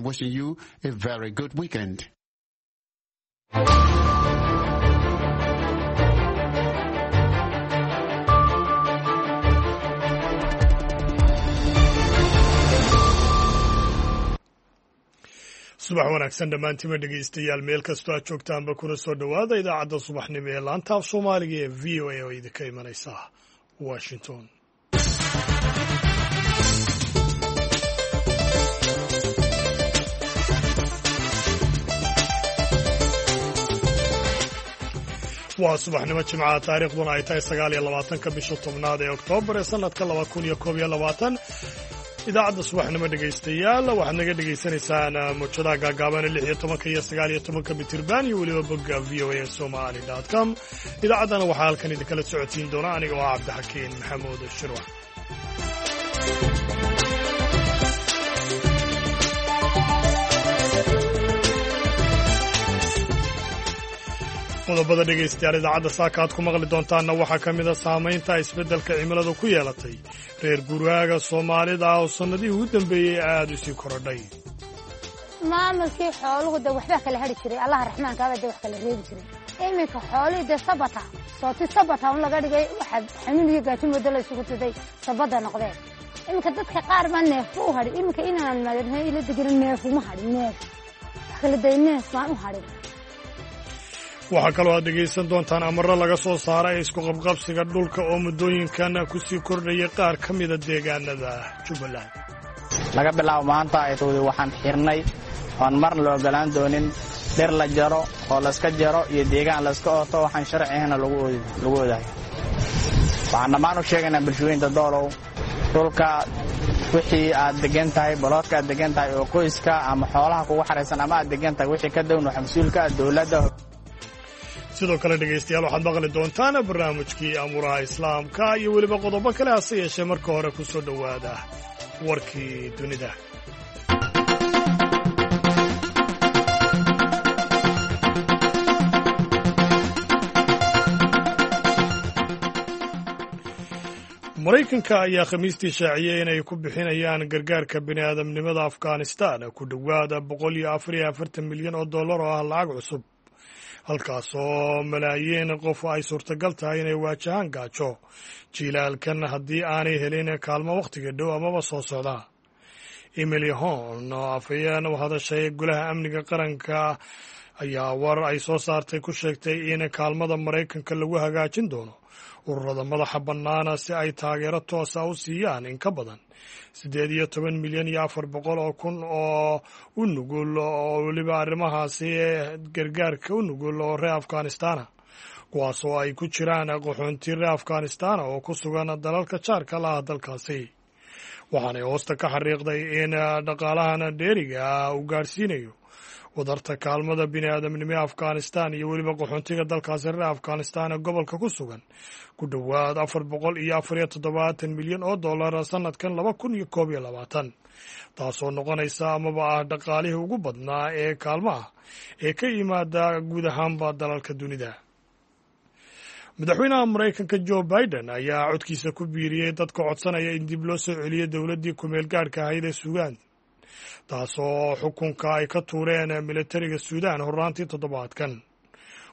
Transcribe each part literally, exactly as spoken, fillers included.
wishing you a very good weekend. Subax wanaagsan dhammaantiinba, dhegaystayaal, meel kastoo aad joogtaanba, kuna soo dhowaada idaacadda subaxnimo ee laanta af Soomaaliga ee V O A oo idinka imanaysa Washington. Waa subaxnimo Jimcaha, taariikhduna ay tahay sagaal iyo labaatanka bisha tobnaad ee Oktoobar ee sanadka laba kun iyo koob iyo labaatan. Idaacadda subaxnimo, dhegaystayaal, waxaad naga dhegaysanaysaan mawjadaha gaagaaban lix iyo tobanka iyo sagaal iyo tobanka mitirban iyo weliba bogga V O A Somali com. Idaacaddana waxaa halkan idinkala socodsiin doona aniga oo ah Cabdixakiin Maxamuud Shirwac. Qodobada, dhegaystayaal, idaacadda saaka aad ku maqli doontaanna waxaa ka mid a saamaynta isbeddelka cimiladu ku yeelatay reer guraaga Soomaalida oo sannadihii ugu dambeeyey aada u sii korodhay. Maamulkii xooluhu de waxbaa kala hari jiray, Allaha raxmaankaaba de wax kala reebi jiray. Iminka xoolihii dee sabata sooti sabata un laga dhigay, waxaa xanuun iyo gaajo moodo la isugu tiday sabada noqdeen. Iminka dadka qaar baa neefba u hadhin. Iminka inaan ila degin neefuma hadhin, neef wax kala day, neef baan u hadhin. Waxaa kaloo aad dhegaysan doontaan amarro laga soo saaray isku qabqabsiga dhulka oo muddooyinkan ku sii kordhayay qaar ka mida deegaanada Jubbaland. Laga bilaabo maanta ay towday, waxaan xirnay oon marna la ogolaan doonin dhir la jaro oo layska jaro iyo deegaan layska ooto, waxaan sharci ahna lagu odahay. Waxaan dhammaan u sheegaynaa bulshooyinta Doolow, dhulka wixii aad degan tahay, baloodka aad degan tahay oo qoyska ama xoolaha kugu xaraysan ama aad degan tahay, wixii ka down waxa mas-uulka ah dowladda. Sidoo kale, dhegaystayaal, waxaad maqli doontaan barnaamijkii amuuraha Islaamka iyo weliba qodobo kale, hase yeeshee marka hore ku soo dhowaada warkii dunida. Maraykanka ayaa Khamiistii shaaciyey inay ku bixinayaan gargaarka bini aadamnimada Afghanistan ku dhowaada boqol iyo afar iyo afartan milyan oo dollar oo ah lacag cusub, halkaasoo malaayiin qof ay suurtagal tahay inay waajahaan gaajo jiilaalkan haddii aanay helin kaalmo wakhtiga dhow amaba soo socda. Emily Horn, oo afhayeen u hadashay Golaha Amniga Qaranka, ayaa war ay soo saartay ku sheegtay in kaalmada Maraykanka lagu hagaajin doono ururada madaxa bannaana si ay taageero toosa u siiyaan in ka badan siddeed iyo toban milyan iyo afar boqol oo kun oo u nugul oo weliba arrimahaasi gargaarka u nugul oo reer Afghanistana, kuwaas oo ay ku jiraan qaxoonti reer Afghanistana oo ku sugan dalalka jaarka la ah dalkaasi. Waxaanay hoosta ka xariiqday in dhaqaalahan dheeriga ah uu gaadhsiinayo wadarta kaalmada bini aadamnimo ee Afghanistan iyo weliba qaxoontiga dalkaasi reer Afghanistan ee gobolka ku sugan ku dhowaad afar boqol iyo afar iyo toddobaatan milyan oo dollar sanadkan laba kun iyo koob iyo labaatan, taasoo noqonaysa amaba ah dhaqaalihii ugu badnaa ee kaalmaha ee ka yimaada guud ahaanba dalalka dunida. Madaxweynaha Maraykanka Joe Biden ayaa codkiisa ku biiriyey dadka codsanaya in dib loo soo celiyo dowladdii kumeel gaadhka ahayd ee Suudaan, taasoo xukunka ay ka tuureen militariga Suudaan horraantii toddobaadkan.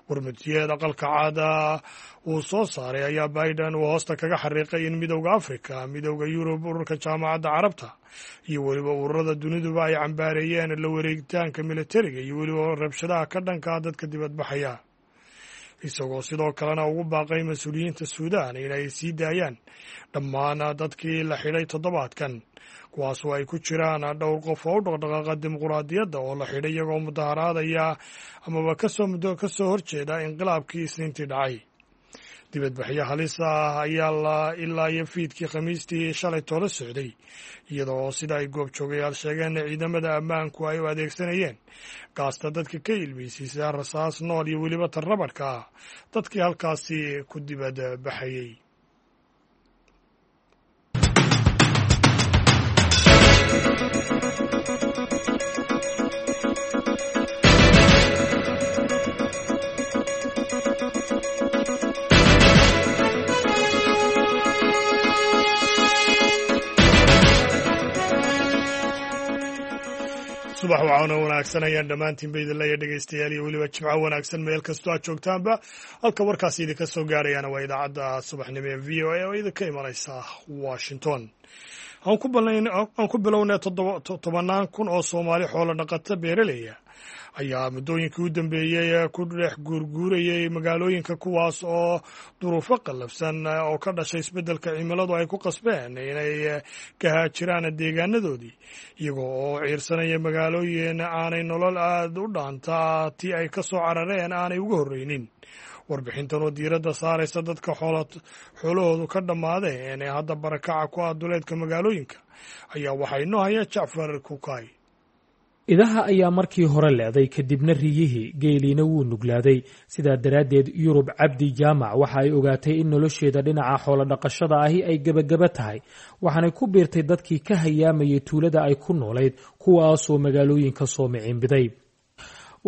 Warmutiyeed Aqalka Caada uu soo saaray ayaa Biden uu hoosta kaga xariiqay in Midowda Afrika, Midowda Yurub, ururka Jaamacadda Carabta iyo weliba ururada duniduba ay cambaareeyeen la wareegitaanka militariga iyo weliba rabshadaha ka dhanka dadka dibadbaxaya, isagoo sidoo kalena ugu baaqay mas-uuliyiinta Suudaan inay sii daayaan dhammaan dadkii la xidhay toddobaadkan, kuwaasoo ay ku jiraan dhowr qof oo u dhaqdhaqaaqa dimuquraadiyadda oo la xidhay iyagoo mudaharaadaya amaba kasoo muddo ka soo horjeeda inqilaabkii Isniintii dhacay. Dibadbaxyo halis ah ayaa la ilaa iyo fiidkii Khamiistii shalay toola socday, iyadoo sida ay goobjoogayaal sheegeen ciidamada ammaanku ay u adeegsanayeen gaasta dadka ka ilmeysiisa, rasaas nool iyo weliba tarrabadhka ah dadkii halkaasi ku dibad baxayey. Subax Wacaana wanaagsan ayaan dhammaantiinba idin leeya dhegeystayaal, iyo weliba jimco wanaagsan meel kastoo aad joogtaanba. Halka warkaasi idinka soo gaarayaana waa idaacadda subaxnimo ee V O A oo idinka imanaysa Washington. Aan ku bilownay, tobannaan kun oo Soomaali xoolo dhaqato beeraleya ayaa muddooyinkii u dambeeyey ku dhex guurguurayay magaalooyinka, kuwaas oo duruufo qallafsan oo ka dhashay isbeddelka cimiladu ay ku qasbeen inay ka haajiraan deegaanadoodii, iyagoo oo ciirsanaya magaalooyin aanay nolol aad u dhaantaa tii ay ka soo carareen aanay uga horreynin. Warbixintan oo diiradda saaraysa dadka xoolahoodu ka dhammaadeen ee hadda barakaca ku ah duleedka magaalooyinka ayaa waxaa inoo haya Jacfar Kukay. Idaha ayaa markii hore le'day, kadibna riyihii, geeliina wuu nuglaaday. Sidaa daraaddeed Yurub Cabdi Jaamac waxa ay ogaatay in nolosheeda dhinaca xoolodhaqashada ahi ay gebagaba tahay, waxaanay ku biirtay dadkii ka hayaamayay tuulada ay ku noolayd, kuwaasoo magaalooyinka soo miciinbiday.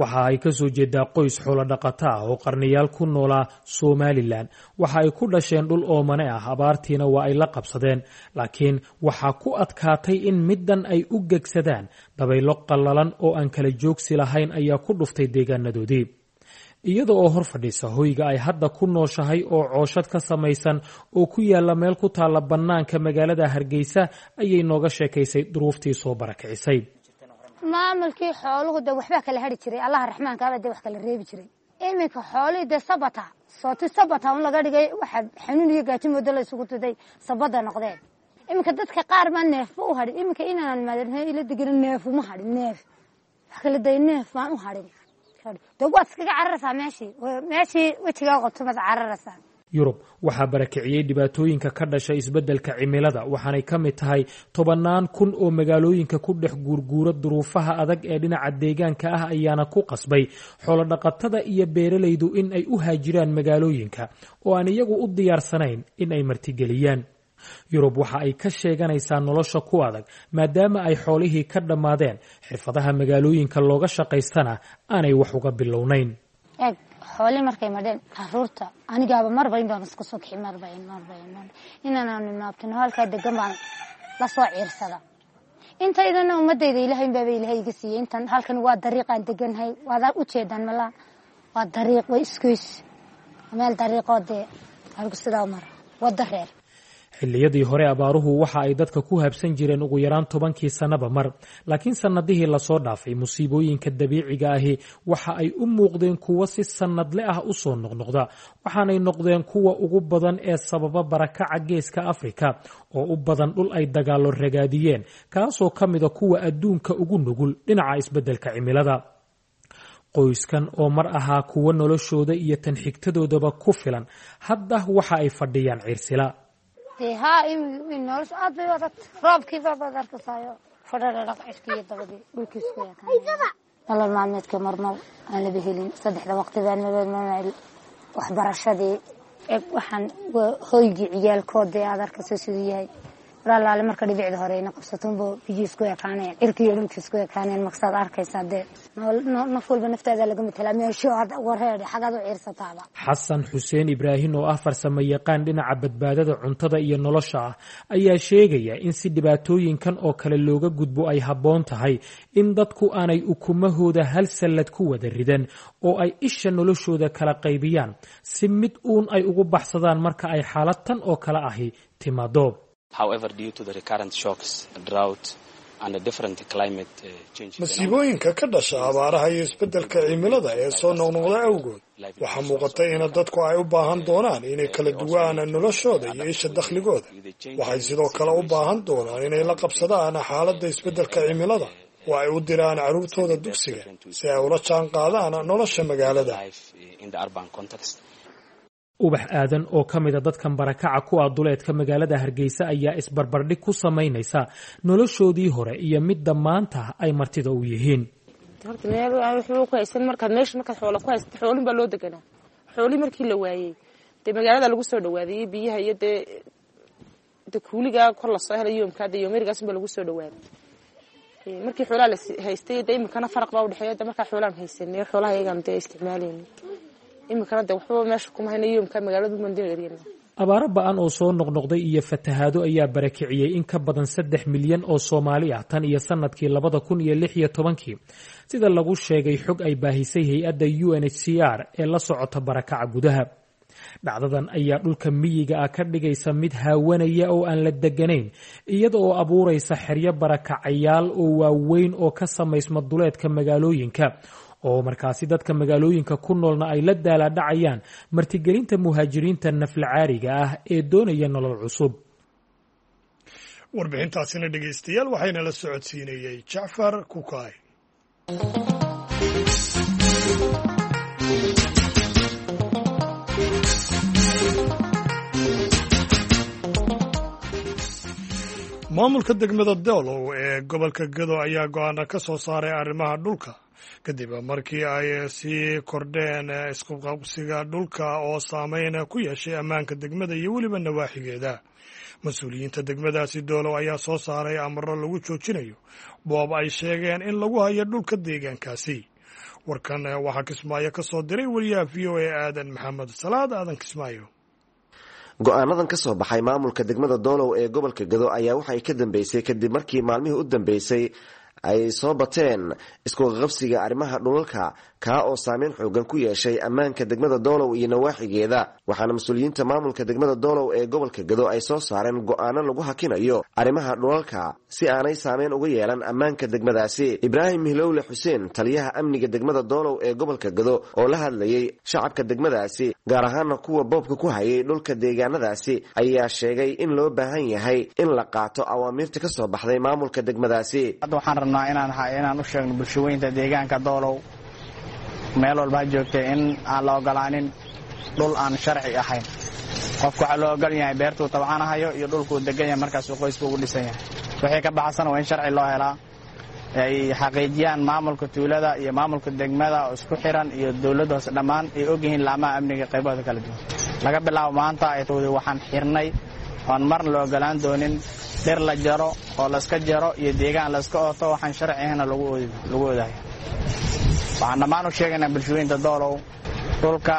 Waxa ay ka soo jeedaa qoys xoolodhaqato ah oo qarniyaal ku noolaa Somalilan. Waxa ay ku dhasheen dhul oomane ah, abaartiina waa ay la qabsadeen, laakiin waxaa ku adkaatay in middan ay u gegsadaan. Dabaylo qallalan oo aan kala joogsi lahayn ayaa ku dhuftay deegaanadoodii. Iyada oo hor fadhiisa hoyga ay hadda ku nooshahay oo cooshad ka samaysan oo ku yaalla meel ku taalla bannaanka magaalada Hargeysa ayay nooga sheekaysay duruuftii soo barakicisay. Maamulkii xooluhu de waxbaa kala hari jiray, Allaha raxmaankaaba de wax kala reebi jiray. Iminka xoolihii dee sabata sooti sabata un laga dhigay, waxa xanuun iyo gaajo moodo la isugu tuday sabada noqdeen. Iminka dadka qaar baa neefba u hadhin. Iminka inaanan maadin ila degin neef uma hadhin, neef wax kala day, neef baan u hadhin. De waad iskaga cararaysaa meeshii meeshii wejigaa qabto maad cararaysaa. Yurub waxaa barakiciyey dhibaatooyinka ka dhashay isbeddelka cimilada, waxaanay ka mid tahay tobannaan kun oo magaalooyinka ku dhex guurguura. Duruufaha adag ee dhinaca deegaanka ah ayaana ku qasbay xoolodhaqatada iyo beeralaydu in ay u haajiraan magaalooyinka oo aan iyagu u diyaarsanayn in ay martigeliyaan. Yurub waxa ay ka sheeganaysaa nolosha ku adag, maadaama ay xoolihii ka dhammaadeen, xirfadaha magaalooyinka looga shaqaystana aanay wax uga bilownayn. Eeg, xoolii markay madheen caruurta, anigaaba marba in baan iska soo kixi, marba marba inaanaanu naabtino halkaa degan baan la soo ciirsada. Intaydana ummadayda Ilahay baaba Ilahay iga siiyey. Intan halkan waa dariiqaan deganhay, waad ujeedaan malaa, waa dariiq, waa isgoys, meel dariiqoo dee halku sidaa mara wada reer. Xilliyadii hore abaaruhu waxa ay dadka ku habsan jireen ugu yaraan tobankii sannaba mar, laakiin sannadihii lasoo dhaafay musiibooyinka dabiiciga ahi waxa ay u muuqdeen kuwo si sannadle ah u soo noqnoqda, waxaanay noqdeen kuwa ugu badan ee sababa barakaca Geeska Afrika oo u badan dhul ay dagaallo ragaadiyeen, kaasoo ka mida kuwa adduunka ugu nugul dhinaca isbeddelka cimilada. Qoyskan oo mar ahaa kuwo noloshooda iyo tan xigtadoodaba ku filan, hadda waxa ay fadhiyaan ciirsila. Dee haa, nolosha aad bay u adag. Roobkiiba baad arkasaayo fadhadhadhaq cirkiiyo dabadii dhulkiisku ekaan. Nolol maalmeedka marmar aan laba helin, saddexda waqti baan nolol, waxbarashadii eg, waxaan hoygii ciyaalkoodee aad arkayso siduu yahay. Walaalaale, marka dhibicda hore ina qabsatunba biyii isku ekaanayaan, cirkiiyo dhulkii isku ekaanayaan. Markasaad arkaysaa dee naf walba naftaada laga matelaa meesho aad wareedhe xagaad u ciirsataaba. Xasan Xuseen Ibraahim oo ah farsamo yaqaan dhinaca badbaadada cuntada iyo nolosha ah ayaa sheegaya in si dhibaatooyinkan oo kale looga gudbo ay habboon tahay in dadku aanay ukumahooda hal sallad ku wada ridan oo ay isha noloshooda kala qaybiyaan, si mid uun ay ugu baxsadaan marka ay xaalad tan oo kale ahi timaado. Masiibooyinka ka dhasha abaaraha iyo isbeddelka cimilada ee soo noqnoqda awgood, waxaa muuqata in dadku ay u baahan doonaan inay kala duwaan noloshooda iyo isha dakhligooda. Waxay sidoo kale u baahan doonaan inay la qabsadaan xaaladda isbeddelka cimilada oo ay u diraan carruurtooda dugsiga si ay ula jaan qaadaan nolosha magaalada. Ubax Aadan oo ka mida dadkan barakaca ku ah duleedka magaalada Hargeysa ayaa isbarbardhig ku samaynaysa noloshoodii hore iyo midda maanta ay martida u yihiin. Horta meel waxba ku haysan markaad meesha markaad xoola ku haysato, xoolin baa loo deganaa. Xoolii markii la waayey dee magaalada lagu soo dhawaadayey, biyaha iyo dee de kuuligaa kor lasoo helay yoomkaa dee yoomerigaas baa lagu soo dhawaaday. Markii xoolaha la haystay dee iminkana faraq baa udhexeeya. De markaa xoolaan haysanay, xoolaha iyagaan dee isticmaalayna, iminkana de waxba meesha kuma hayna, yoomkaa magaalada mandin eryana. Abaaro ba-an oo soo noqnoqday iyo fatahaado ayaa barakiciyey in ka badan saddex milyan oo Soomaali ah tan iyo sanadkii labada kun iyo lix iyo tobankii, sida lagu sheegay xog ay baahisay hay-adda U N H C R ee la socota barakaca gudaha. Dhacdadan ayaa dhulka miyiga ah ka dhigaysa mid haawanaya oo aan la deganayn, iyada oo abuuraysa xeryo barakacayaal oo waaweyn oo ka samaysma duleedka magaalooyinka, oo markaasi dadka magaalooyinka ku noolna ay la daalaadhacayaan martigelinta muhaajiriinta naflacaariga ah ee doonaya nolol cusub. Warbixintaasina dhegeystayaal waxayna la socodsiinayey Jacfar Kukaay. Maamulka degmada Doolow ee gobolka Gado ayaa go-aana ka soo saaray arrimaha dhulka kadib markii ay sii kordheen iskuqabsiga dhulka oo saameyn ku yeeshay ammaanka degmada iyo weliba nawaaxigeeda. Mas-uuliyiinta degmadaasi Doolow ayaa soo saaray amaro lagu joojinayo boob ay sheegeen in lagu hayo dhulka deegaankaasi. Warkan waxaa Kismaayo ka soo diray wariyaha V O A Aadan Maxamed Salaad. Aadan Kismaayo. Go-aanadan ka soo baxay maamulka degmada Doolow ee gobolka Gado ayaa waxay ka dambeysay kadib markii maalmihii u dambeysay ay soo bateen iskuqaqabsiga arrimaha dhulalka, kaa oo saameyn xoogan ku yeeshay ammaanka degmada Doolow iyo nawaaxigeeda. Waxaana mas-uuliyiinta maamulka degmada Doolow ee gobolka Gado ay soo saareen go-aano lagu hakinayo arrimaha dhulalka si aanay saameyn uga yeelan ammaanka degmadaasi. Ibraahim Hilowle Xuseen, taliyaha amniga degmada Doolow ee gobolka Gado oo la hadlayay shacabka degmadaasi, gaar ahaana kuwa boobka ku hayay dhulka deegaanadaasi, ayaa sheegay in loo baahan yahay in la qaato awaamiirta ka soo baxday maamulka degmadaasi. Inaan inaan u sheegno bulshaweynta deegaanka Doolow meel walba ha joogtay in aan la ogolaanin dhul aan sharci ahayn. Qofku waxaa loo ogol yahay beertuu tabcanahayo iyo dhulkuu degan yahay markaasuu qoysku ugu dhisan yahay. Wixii ka baxsan waa in sharci loo helaa, ay xaqiijiyaan maamulka tuulada iyo maamulka degmada oo isku xiran iyo dowladda hoose dhammaan ay ogyihiin laamaha amniga qaybahooda kala duwan. Laga bilaabo maanta ay towday waxaan xirnay oon marna la ogolaan doonin dhir la jaro oo layska jaro iyo deegaan layska ooto waxaan sharci ahayna lagu oodayo. Waxaan dhammaan u sheegaynaa bulshooyinta Doolow dhulka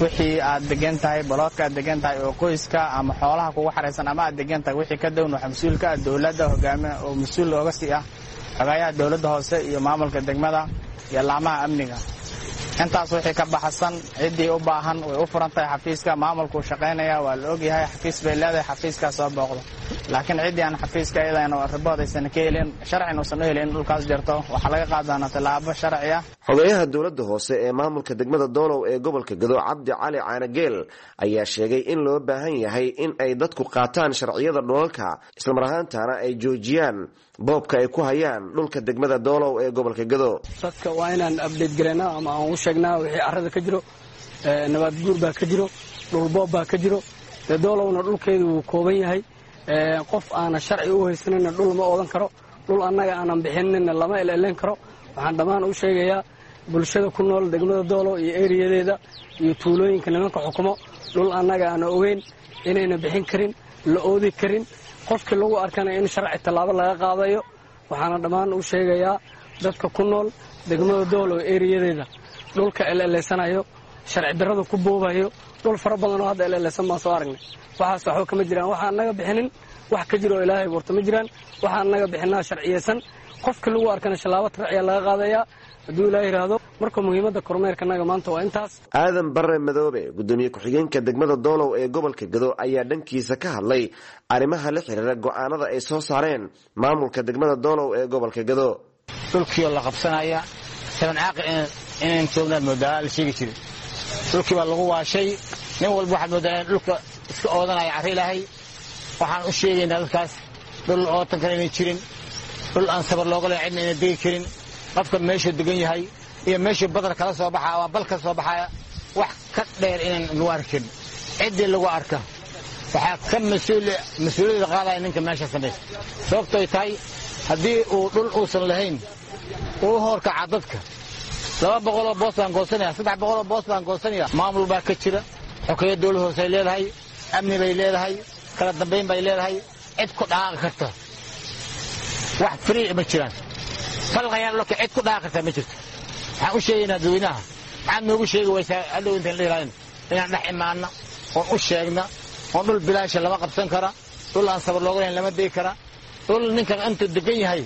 wixii aad degan tahay, baloodka aad degan tahay oo qoyska ama xoolaha kugu xaraysan ama aad degan tahay wixii ka down waxa mas-uulka ah dowladda hogaami oo mas-uul looga sii ah xogayaha dowladda hoose iyo maamulka degmada iyo laamaha amniga. Intaas wixii ka baxsan ciddii u baahan way u furan tahay xafiiska maamulkuu shaqaynaya, waa la ogyahay xafiis bay leedahay, xafiiskaa soo booqdo. Laakiin ciddii aan xafiiska iyadana ribood aysan ka helin, sharcin uusan u helin in dhulkaas jarto, waxaa laga qaadi doonaa tallaabo sharci ah. Xogeyaha dowladda hoose ee maamulka degmada Doolow ee gobolka Gado, Cabdi Cali Caanageel, ayaa sheegay in loo baahan yahay in ay dadku qaataan sharciyada dhulalka, islamar ahaantaana ay joojiyaan boobka ay ku hayaan dhulka degmada Doolow ee gobolka Gado. Dadka waa inaan update garaynaa ama aan u sheegnaa wixii carrada ka jiro. Nabaad guur baa ka jiro, dhul boob baa ka jiro. Dee Doolowna dhulkeedu wuu kooban yahay. Qof aana sharci u haysanina dhul ma oodan karo, dhul annaga aanan bixinina lama elelen karo. Waxaan dhammaan u sheegayaa bulshada ku nool degmada Doolow iyo eriyadeeda iyo tuulooyinka nimanka xukumo, dhul annaga aana ogeyn inayna bixin karin, la oodi karin. Qofkii lagu arkana in sharci tallaabo laga qaadayo. Waxaana dhammaan u sheegayaa dadka ku nool degmada Doolow eriyadeeda dhulka eleleysanayo, sharci darrada ku boobayo. Dhul fara badan oo hadda eleleysan baan soo aragnay, waxaas waxba kama jiraan. Waxaan naga bixinin wax ka jiro oo ilaahay warto ma jiraan. Waxaan naga bixinaa sharciyeysan, qofkii lagu arkana shallaabo tarciya laga qaadayaa hadduu ilaahay yidhaahdo. Marka muhiimadda kormeerkanaga maanta waa intaas. Aadan Barre Madoobe, gudoomiye ku-xigeenka degmada Doolow ee gobolka Gado, ayaa dhankiisa ka hadlay arrimaha la xiriira go-aanada ay soo saareen maamulka degmada Doolow ee gobolka Gado. Dhulkiioo la qabsanaya saban caaqi inayn joognaad moodaa la sheegi jiray. Dhulkii baa lagu waashay, nin walba waxaad moodaa in dhulka iska oodanaya carri ilaahay. Waxaan u sheegaynaa dadkaas dhul ootan kale inay jirin, dhul aan sabar looga leyn cidna inay degi karin. Qofka meeshuu degan yahay iyo meeshuu badar kala soo baxaa ama bal ka soo baxaya wax ka dheer inaan lagu arki karin. Ciddii lagu arka waxaa ka mas-uuliyadda qaadaya ninka meesha samaysta. Sababtoy tahay haddii uu dhul uusan lahayn uu horkaca dadka. Laba boqoloo boos baan goosanaya, saddex boqoloo boos baan goosanaya. Maamul baa ka jira, xokeeyo dowlad hoose ay leedahay, amni bay leedahay, kala dambayn bay leedahay. Cid ku dhaqaaqi karta wax free ma jiraan. Falqayaan lka cid ku dhaqaaqi karta ma jirto. Waxaan u sheegaynaa dadweynaha, maxaad noogu sheegi waysaa hadhow intaan dhihilahayn inaan dhex imaanna oon u sheegna Oo dhul bilaasha lama qabsan kara, dhul aan sabar looga lahayn lama degi kara, dhul ninkan intuu degan yahay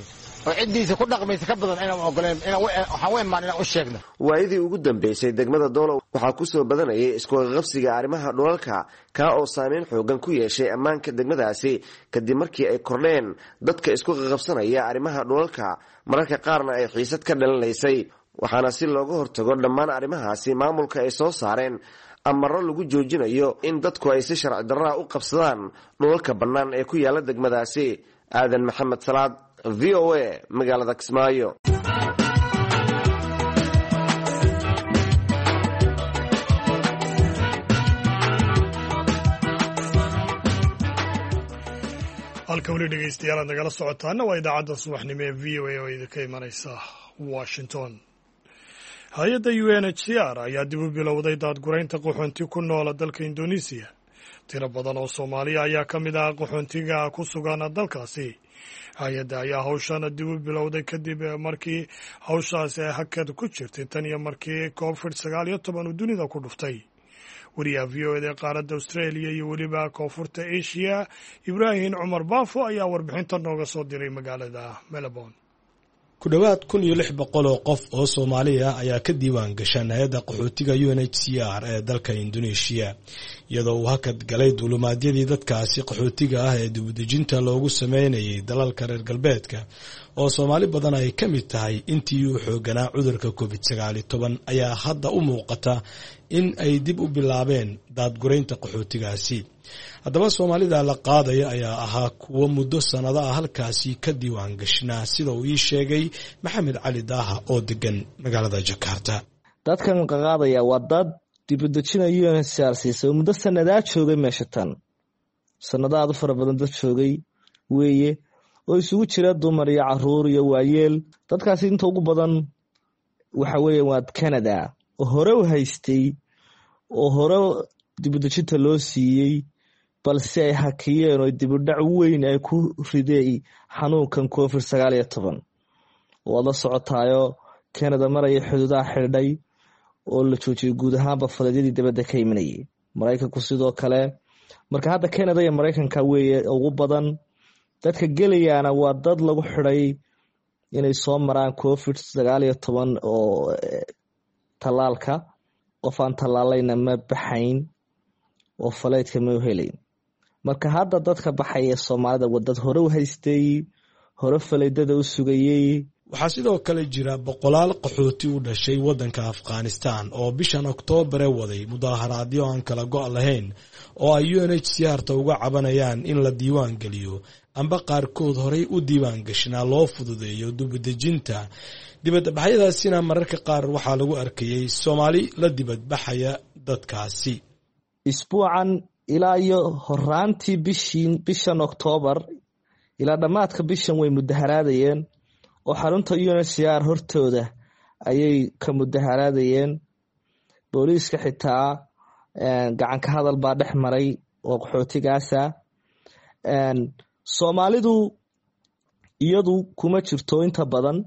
oo ciddiisa ku dhaqmaysa ka badan inaan ogoleen, waxaan u imaan inaan u sheegno. Waayadii ugu dambeysay degmada Doolow waxaa kusoo badanayay iskuqaqabsiga arrimaha dhulalka, kaa oo saameyn xoogan ku yeeshay ammaanka degmadaasi kadib markii ay kordheen dadka isku qaqabsanaya arrimaha dhulalka, mararka qaarna ay xiisad ka dhalanaysay. Waxaana si looga hortago dhammaan arrimahaasi maamulka ay soo saareen amaro lagu joojinayo in dadku ay si sharci darraa u qabsadaan dhulalka bannaan ee ku yaala degmadaasi. Aadan Maxamed Salaad, V O A, magaalada Kismaayo. Halka weli dhegeystayaal aad nagala socotaana waa idaacadda subaxnimo ee V O A oo idinka imanaysa Washington. Hay-adda U N H C R ayaa dib u bilowday daadguraynta qaxoonti ku noola dalka Indoneesiya. Tiro badan oo Soomaaliya ayaa ka mid ah qaxoontiga ku sugan dalkaasi. Hay-adda ayaa hawshan dib u bilowday kadib markii hawshaasi ay hakad ku jirtay tan iyo markii covid sagaal iyo toban uu dunida ku dhuftay. Wariyaha V O eda ee qaaradda Australia iyo weliba koonfurta Asia, Ibraahim Cumar Baafo, ayaa warbixinta nooga soo diray magaalada Melbourne. Ku dhowaad kun iyo lix boqol oo qof oo Soomaali ah ayaa ka diiwaan gashan hay-adda qaxootiga U N H C R ee dalka Indoneeshiya, iyadoo uu hakad galay duulumaadyadii dadkaasi qaxootiga ah ee dibudejinta loogu sameynayay dalalka reer galbeedka oo Soomaali badan ay ka mid tahay intii uu xooganaa cudurka covid sagaal iyo toban ayaa hadda u muuqata in ay dib u bilaabeen daadguraynta qaxootigaasi. Haddaba Soomaalida la qaadaya ayaa ahaa kuwo muddo sannado ah halkaasi ka diiwaan gashnaa, sida uu ii sheegay Maxamed Cali Daaha oo degan magaalada Jakarta. Dadkan qaqaadaya waa dad dibudejina U N H C R siisay oo muddo sanadaa joogay meesha tan, sanado aad u fara badan dad joogay weeye, oo isugu jira dumar iyo caruur iyo waayeel. Dadkaasi inta ugu badan waxa weeye waa Canada oo hore u haystay oo hore dibudejinta loo siiyey, balse ay hakiyeen oo dibudhac weyn ay ku riday xanuunkan covid sagaal iyo toban. Waad la socotaayo Canada maraya xuduudaha xidhay oo la joojiyey guud ahaanba faleedyadii dibadda ka imanayay. Maraykanku sidoo kale. Marka hadda Canada iyo Maraykanka weeye ugu badan dadka gelayaana waa dad lagu xidhay inay soo maraan covid sagaal iyo toban oo tallaalka. Qof aan tallaalayna ma baxayn oo faleydka ma helayn. Marka hadda dadka baxaya Soomaalida waa dad hore u haystay, hore faleydada u sugayey. Waxaa sidoo kale jira boqolaal qaxooti u dhashay waddanka Afghanistan oo bishan Oktoobare waday mudaaharaadyo aan kala go' lahayn oo ay U N H C R ta uga cabanayaan in la diiwaan geliyo amba qaarkood horay u diiwaan gashnaa loo fududeeyo dibadejinta. Dibadbaxyadaasina mararka qaar waxaa lagu arkayay Soomaali la dibadbaxaya dadkaasi. Isbuucan ilaa iyo horaantii bishii bishan Oktoobar ilaa dhammaadka bishan way mudaharaadayeen oo xarunta U N H C R hortooda ayay ka mudaharaadayeen. Booliiska xitaa gacan ka hadal baa dhex maray oo qaxootigaasa. Soomaalidu iyadu kuma jirto inta badan,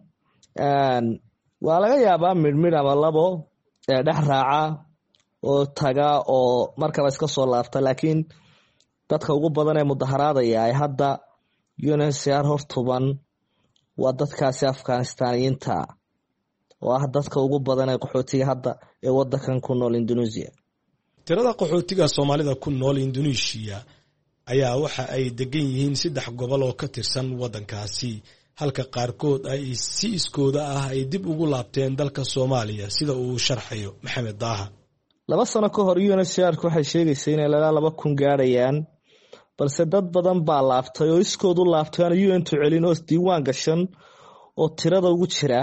waa laga yaabaa midhmidh ama labo ee dhex raaca oo taga oo markaba iska soo laabta, laakiin dadka ugu badan ee mudaharaadaya ay hadda U N H C R hortuban waa dadkaasi Afghanistaaniyiinta oo ah dadka ugu badan ee qaxootiga hadda ee wadankan ku nool Indonesia. Tirada qaxootiga Soomaalida ku nool Indonesia ayaa waxa ay degan yihiin saddex gobol oo ka tirsan waddankaasi, halka qaarkood ay si iskooda ah ay dib ugu laabteen dalka Soomaaliya, sida uu sharxayo Maxamed Daaha. Laba sano ka hor U N H C R waxay sheegaysay inay ilaa laba kun gaarayaan, balse dad badan baa laabtay oo iskood u laabtay aan U N tu celin oo diiwaan gashan oo tirada ugu jira.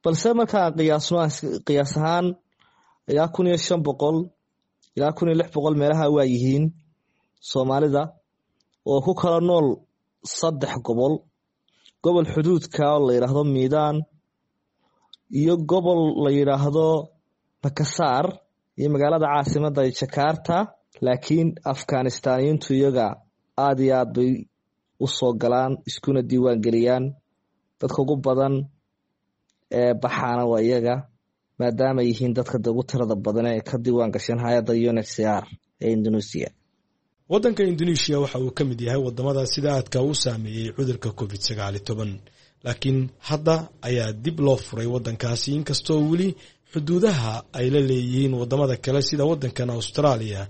Balse markaan qiyaasno qiyaas ahaan ilaa kun iyo shan boqol ilaa kun iyo lix boqol meelaha waa yihiin Soomaalida oo ku kala nool saddex gobol. Gobol xuduudka oo la yiraahdo Miidaan iyo gobol la yiraahdo Makassar iyo magaalada caasimadda ee Jakarta. Laakiin Afghanistaaniyiintu iyaga aad iyo aad bay u soo galaan iskuna diiwaan geliyaan. Dadka ugu badan ee baxaana waa iyaga, maadaama yihiin dadka ugu tirada badan ee ka diiwaan gashan hay-adda U N H C R ee Indonesia. Waddanka Indoneeshiya waxa uu ka mid yahay wadamada sida aadka u saameeyey cudurka covid sagaali toban, laakiin hadda ayaa dib loo furay waddankaasi, inkastoo weli xuduudaha ay la leeyihiin wadamada kale sida waddankan Australia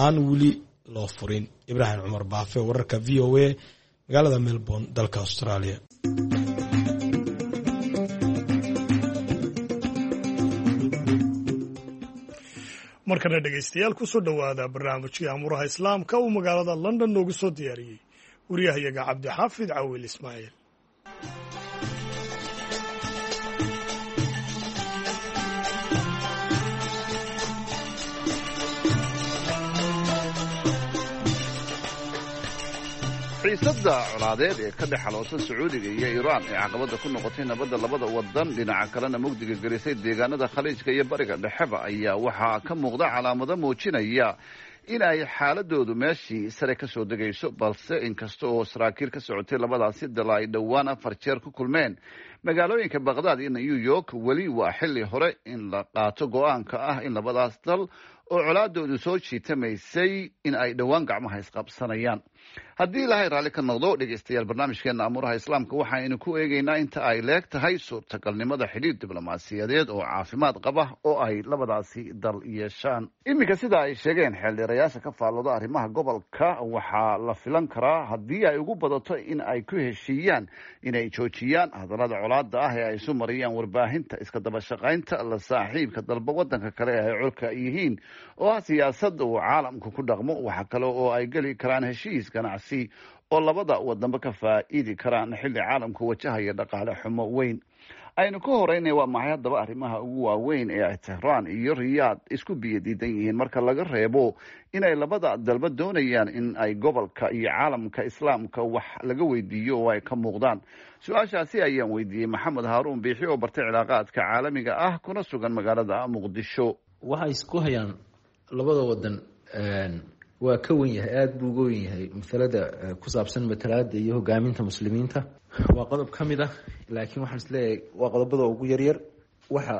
aan weli loo furin. Ibraahim Cumar Baafe, wararka V O A, magaalada Melbourne, dalka Australia. Markana dhegaystayaal, kusoo dhowaada barnaamijkii Amuuraha Islaamka uu magaalada London noogu soo diyaariyey wariyahayaga Cabdixaafid Cawil Ismaaciil. Xiisadda colaadeed ee ka dhex xaloosan Sacuudiga iyo Iiraan ee caqabadda ku noqotay nabadda labada wadan, dhinaca kalena mugdiga gelisay deegaanada Khaliijka iyo Bariga Dhexeba, ayaa waxaa ka muuqda calaamado muujinaya in ay xaaladoodu meeshii sare ka soo degayso. Balse inkasta oo saraakiil ka socotay labadaasi dal ay dhowaan afar jeer ku kulmeen magaalooyinka Baqdaad iyo New York, weli waa xilli hore in la qaato go-aanka ah in labadaas dal oo colaadoodu soo jiitamaysay in ay dhowaan gacmaha isqabsanayaan. Haddii Ilaahay raalli ka noqdo, dhegeystayaal, barnaamijkeena Amuuraha Islaamka waxaynu ku eegeynaa inta ay leeg tahay suurtagalnimada xidhiir diblomaasiyadeed oo caafimaad qaba oo ay labadaasi dal yeeshaan. Iminka, sida ay sheegeen xeeldheerayaasha ka faallooda arrimaha gobolka, waxaa la filan karaa haddii ay ugu badato in ay ku heshiiyaan inay joojiyaan hadallada colaada ah ee ay isu mariyaan warbaahinta, iska daba shaqaynta la saaxiibka dalba wadanka kale ee ay colka yihiin oo ah siyaasada uu caalamku ku dhaqmo. Waxa kale oo ay geli karaan heshiis ganacsi oo labada wadanba ka faa'iidi karaan xilli caalamku wajahaya dhaqaale xumo weyn. Aynu ka horeynay, waa maxay haddaba arrimaha ugu waaweyn ee ay Tehraan iyo Riyaad isku biyo diidan yihiin, marka laga reebo inay labada dalba doonayaan in ay gobolka iyo caalamka Islaamka wax laga weydiiyo oo ay ka muuqdaan? Su-aashaasi ayaan weydiiyey Maxamed Haaruun Biixi oo bartay cilaaqaadka caalamiga ah kuna sugan magaalada Muqdisho. Waxay isku hayaan labada wadan waa ka wen yahay, aada buu uga wen yahay masalada ku saabsan matalaada iyo hogaaminta muslimiinta. Waa qodob ka mid ah, laakiin waxaan isleeyahay waa qodobada ugu yaryar. Waxa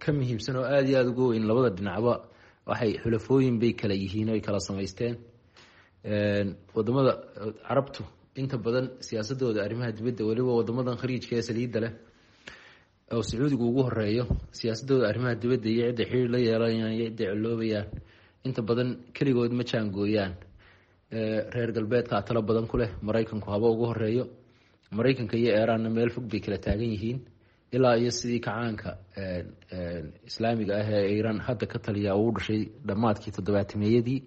ka muhiimsan oo aada iyo aada uga weyn, labada dhinacba waxay xulafooyin bay kala yihiin oo ay kala samaysteen. Wadamada Carabtu inta badan siyaasadooda arrimaha dibadda, weliba wadamadan Khariijka ee saliidda leh oo Sacuudigu ugu horeeyo, siyaasadooda arrimaha dibadda iyo cidda xiriir la yeelanayaan iyo cidday coloobayaan inta badan keligood ma jaangooyaan. Reer galbeedkaa talo badan ku leh, Maraykanku haba ugu horeeyo. Maraykanka iyo Eeraanna meel fog bay kala taagan yihiin ilaa iyo sidii kacaanka Islaamiga ah ee Iiraan hadda ka taliya uu dhashay dhammaadkii toddobaatameeyadii.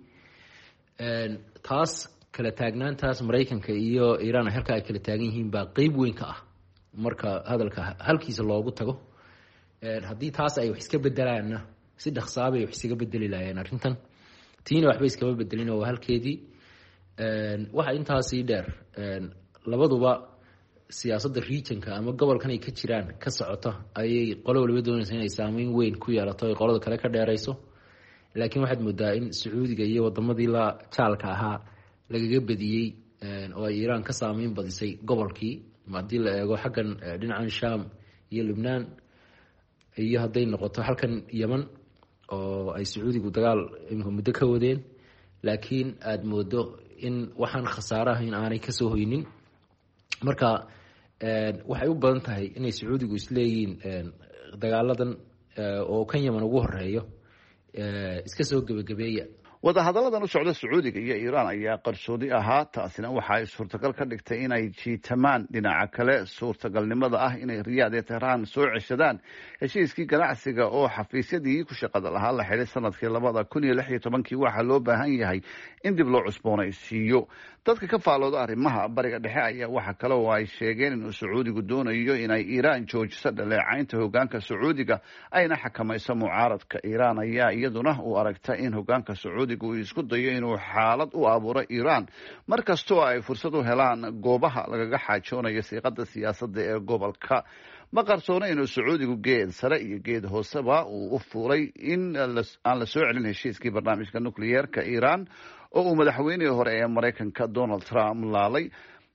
Taas kala taagnaantaas Maraykanka iyo Iiraan halka ay kala taagan yihiin baa qeyb weyn ka ah marka hadalka halkiisa loogu tago. Haddii taas ay wax iska bedelaanna, si dhaqsaabay wax isaga bedeli lahaayeen arrintan. Tiina waxba iskama bedelin oo waa halkeedii. Waxa intaasii dheer, labaduba siyaasadda regionka ama gobolkan ay ka jiraan ka socota ayay qolo waliba doonaysa inay saameyn weyn ku yeelato, ay qolada kale ka dheerayso. Laakiin waxaad moodaa in Sacuudiga iyo wadamadii la jaalka ahaa lagaga badiyey oo ay Iiraan ka saameyn badisay gobolkii, haddii la eego xaggan dhinacan Sham iyo Lubnaan iyo hadday noqoto halkan Yeman oo ay Sacuudigu dagaal imika muddo ka wadeen, laakiin aada moodo in waxaan khasaare ahayn aanay kasoo hoynin. Marka waxay u badan tahay inay Sacuudigu isleeyihiin dagaaladan oo kan Yeman ugu horeeyo iska soo gebagabeeya. Wadahadalladan u socda Sacuudiga iyo Iiraan ayaa qarsoodi ahaa, taasina waxa ay suurtagal ka dhigtay inay jiitamaan. Dhinaca kale, suurtagalnimada ah inay Riyaad ee Tehraan soo ceshadaan heshiiskii ganacsiga oo xafiisyadii ku shaqada lahaa la xidhay sanadkii labada kun iyo lix iyo tobankii, waxaa loo baahan yahay in dib loo cusboonaysiiyo. Dadka ka faalooda arrimaha Bariga Dhexe ayaa waxa kale oo ay sheegeen inuu Sacuudigu doonayo inay Iiraan joojiso dhaleecaynta hogaanka Sacuudiga ayna xakamayso mucaaradka. Iiraan ayaa iyaduna u aragta in hogaanka Sacuudiga uu isku dayo inuu xaalad u abuuro Iiraan mar kastoo ay fursad u helaan goobaha lagaga xaajoonayo siiqada siyaasadda ee gobolka. Ma qarsoona inuu Sacuudigu geed sare iyo geed hooseba uu u fuulay in aan la soo celin heshiiskii barnaamijka nukliyeerka Iiraan oo uu madaxweynihii hore ee Maraykanka Donald Trump laalay.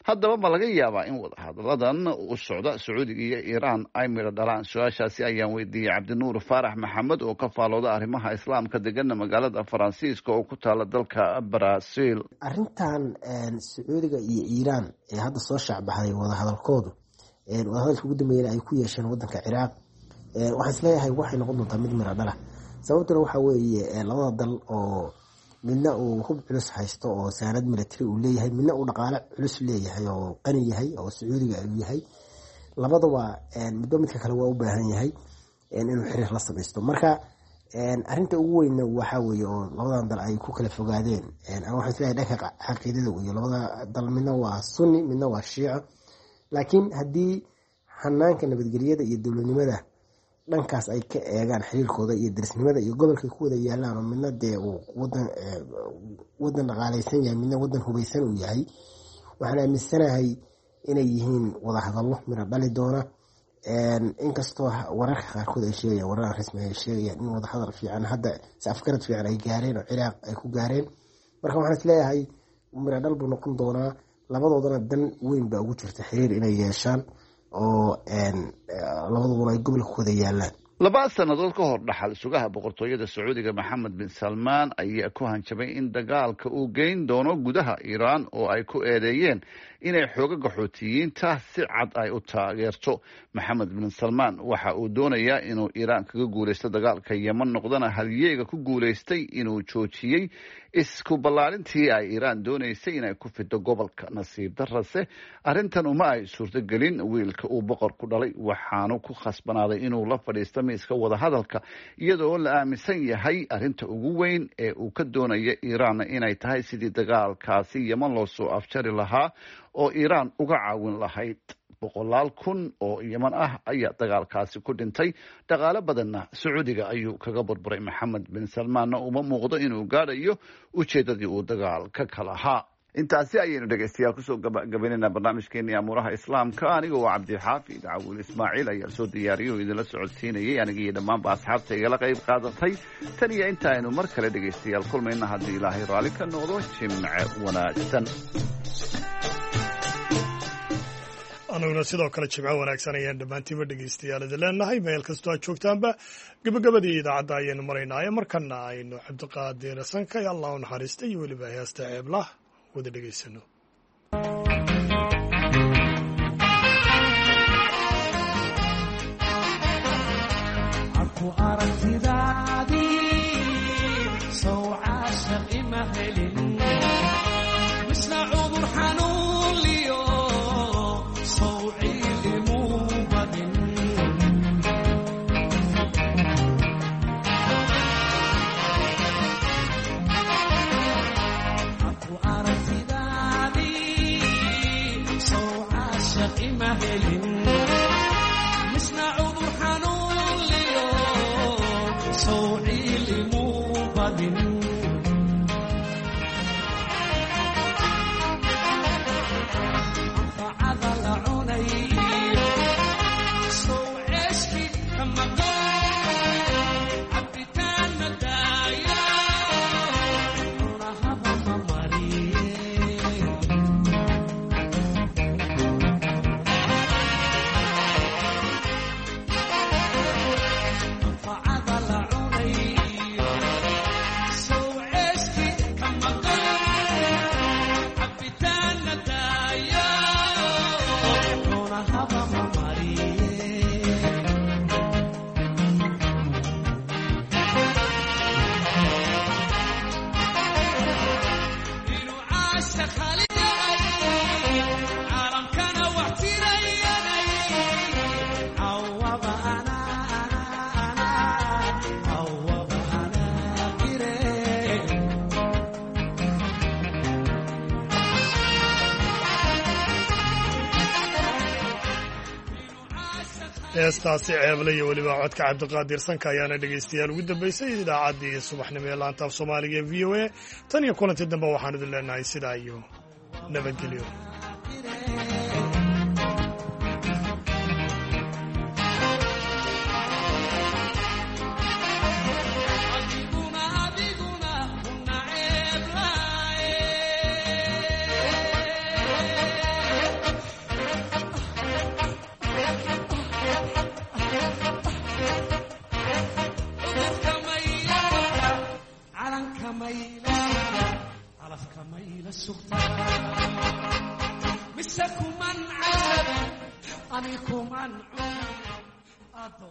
Haddaba ma laga yaabaa in wadahadalladan u socda Sacuudiga iyo Iiraan ay midho dhalaan? Su-aashaasi ayaan weydiiyey Cabdinuur Faarax Maxamed oo ka faalooda arrimaha Islaamka, degana magaalada Faransiiska oo ku taala dalka Brazil. Arrintan Sacuudiga iyo Iiraan ee hadda soo shaacbaxday wadahadalkoodu, wadahadalka ugu dambeeyana ay ku yeesheen wadanka Ciraaq, waxaan isleeyahay waxay noqon doontaa mid miro dhala. Sababtuna waxaa weeye labada dal oo midna uu hub culus haysto oo saanad military uu leeyahay, midna uu dhaqaale culus leeyahay oo qani yahay oo Sacuudiga uu yahay, labadaba midba midka kale waa u baahan yahay inuu xiriir la samaysto. Marka arinta ugu weynna waxaa weeye oo labadan dal ay ku kala fogaadeen, ama waxaan isleeyahay dhanka caqiidada weeye. Labada dal midna waa Sunni, midna waa Shiico, laakiin haddii hanaanka nabadgelyada iyo dowladnimada dhankaas ay ka eegaan xiriirkooda iyo darisnimada iyo gobolkay ku wada yaalaan, oo midna dee uu wadan wadan dhaqaaleysan yahay, midna wadan hubaysan uu yahay, waxaan aaminsanahay inay yihiin wadahadallo miro dhali doona. Inkastoo wararka qaarkood ay sheegayaan, warar aan rasmi ay sheegayaan in wadahadal fiican hadda si afgarad fiican ay gaareen oo Ciraaq ay ku gaareen. Marka waxaan isleeyahay miro dhal buu noqon doonaa, labadoodana dan weyn baa ugu jirta xiriir inay yeeshaan oo labadooduna ay gobolka ku wada yaalaan. Laba sannadood ka hor, dhaxal sugaha boqortooyada Sacuudiga Maxamed bin Salmaan ayaa ku hanjabay in dagaalka uu geyn doono gudaha Iiraan, oo ay ku eedeeyeen inay xoogaga Xuutiyiinta si cad ay u taageerto. Maxamed bin Salmaan waxa uu doonayaa inuu Iiraan kaga guuleysto dagaalka Yeman, noqdana halyeega ku guuleystay inuu joojiyey isku ballaarintii ay Iiraan doonaysay inay ku fido gobolka. Nasiib darase arrintan uma ay suurtogelin wiilka uu boqorku dhalay, waxaanu ku khasbanaaday inuu la fadhiisto miiska wadahadalka, iyadoo la aaminsan yahay arrinta ugu weyn ee uu ka doonaya Iiraan inay tahay sidii dagaalkaasi Yeman loo soo afjari lahaa oo Iiraan uga caawin lahayd. Boqolaal kun oo Yeman ah ayaa dagaalkaasi ku dhintay, dhaqaale badanna Sacuudiga ayuu kaga burburay. Maxamed bin Salmaanna uma muuqdo inuu gaadhayo ujeedadii uu dagaalka ka lahaa. Intaasi ayaynu dhegeystayaal kusoo gabagabaynayna barnaamijkeeni Amuuraha Islaamka. Aniga oo Cabdixaafid Cawil Ismaaciil ayaa soo diyaariyay oo idinla socodsiinayay, aniga iyo dhammaanba asxaabta igala qayb qaadatay. Tan iyo inta aynu mar kale dhegeystayaal kulmayna, haddii Ilaahay raalli ka noqdo, jimce wanaagsan. Anaguna sidoo kale jimco wanaagsan ayaan dhammaantiinba dhegeystayaal idin leenahay meel kastoo aad joogtaanba. Gabagabadii idaacadda ayaynu maraynaaye, markana aynu Cabdiqaadir Sanka iyo Allah u naxariista iyo weliba heesta Ceeblah wada dhegeysano. Heestaasi Ceeble iyo weliba codka Cabdiqaadir Sanka ayaana dhegaystayaal ugu dambeysay idaacaddii subaxnimo ee laanta af Soomaaliga ee V O A. Tan iyo kulantii dambe waxaan idin leenahay sidaa iyo nabadgelyo. Ani kuman cun.